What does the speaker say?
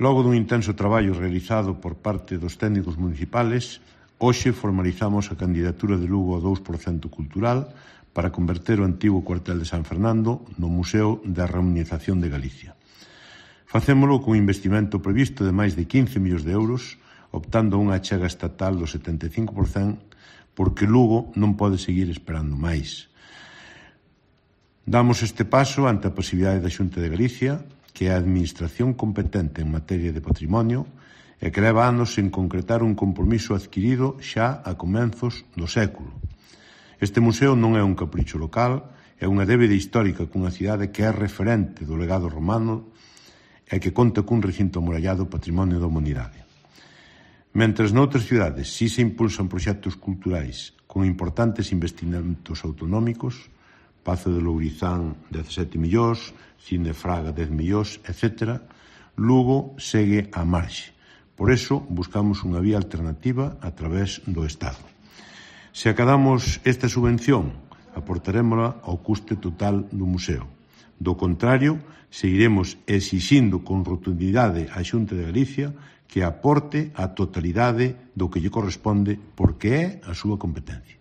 Logo dun intenso traballo realizado por parte dos técnicos municipales, hoxe formalizamos a candidatura de Lugo ao 2% cultural para converter o antigo cuartel de San Fernando no Museo da Reunización de Galicia. Facémolo cun investimento previsto de máis de 15 millóns de euros, optando a unha achega estatal do 75%, porque Lugo non pode seguir esperando máis. Damos este paso ante a posibilidade da Xunta de Galicia, que é a administración competente en materia de patrimonio e que leva anos en concretar un compromiso adquirido xa a comenzos do século. Este museo non é un capricho local, é unha débeda histórica cunha cidade que é referente do legado romano e que conta cun recinto amurallado patrimonio da humanidade. Mentres noutras cidades si se impulsan proxectos culturais con importantes investimentos autonómicos, Pazo de Lourizán 17 millóns, Cine Fraga 10 millóns, etc., Lugo segue á marxe. Por iso, buscamos unha vía alternativa a través do Estado. Se acadamos esta subvención, aportarémola ao custe total do museo. Do contrario, seguiremos exixindo con rotundidade á Xunta de Galicia que aporte a totalidade do que lle corresponde porque é a súa competencia.